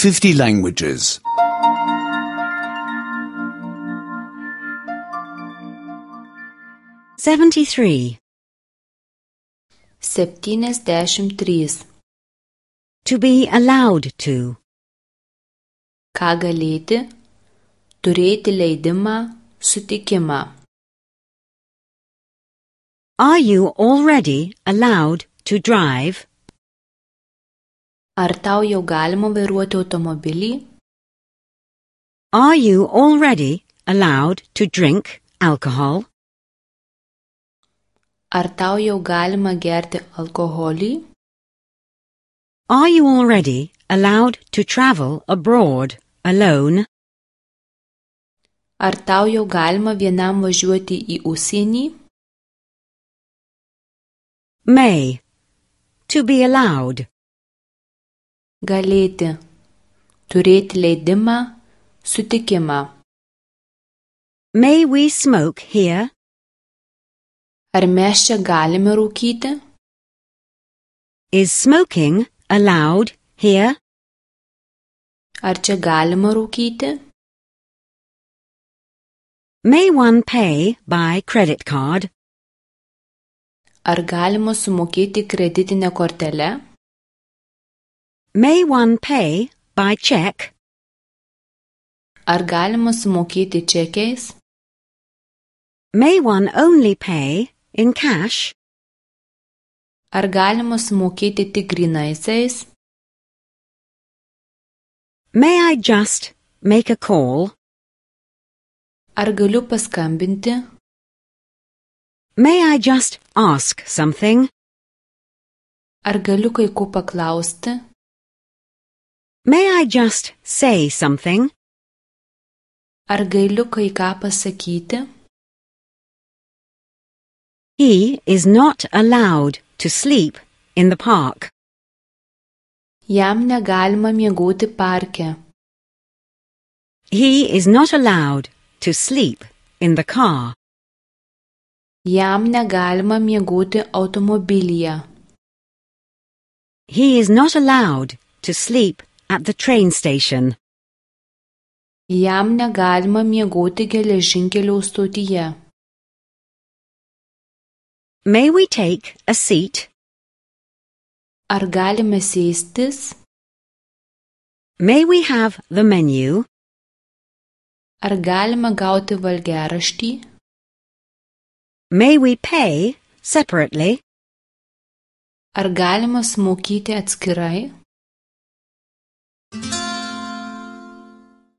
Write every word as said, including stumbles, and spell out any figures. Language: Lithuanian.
fifty languages. seventy-three. Septyniasdešimt trys. To be allowed to. Ką galėti, turėti leidimą, sutikimą. Are you already allowed to drive? Ar tau jau galima vairuoti automobilį? Are you already allowed to drink alcohol? Ar tau jau galima gerti alkoholį? Are you already allowed to travel abroad alone? Ar tau jau galima vienam važiuoti į užsienį? May. To be allowed. Galėti, turėti leidimą, sutikimą. May we smoke here? Ar mes čia galime rūkyti? Is smoking allowed here? Ar čia galima rūkyti? May one pay by credit card? Ar galima sumokėti kreditinę kortelę? May one pay by check? Ar galima sumokėti čekiais? May one only pay in cash? Ar galima sumokėti tik grynaisiais? May I just make a call? Ar galiu paskambinti? May I just ask something? Ar galiu kai ko paklausti? May I just say something? Ar galiu kai ką pasakyti? He is not allowed to sleep in the park. Jam negalima miegoti parke. He is not allowed to sleep in the car. Jam negalima miegoti automobilyje. He is not allowed to sleep at the train station. Jam negalima miegoti geležinkelio stotyje. May we take a seat? Ar galime sėstis? May we have the menu? Ar galima gauti valgiaraštį? May we pay separately? Ar galima sumokėti atskirai?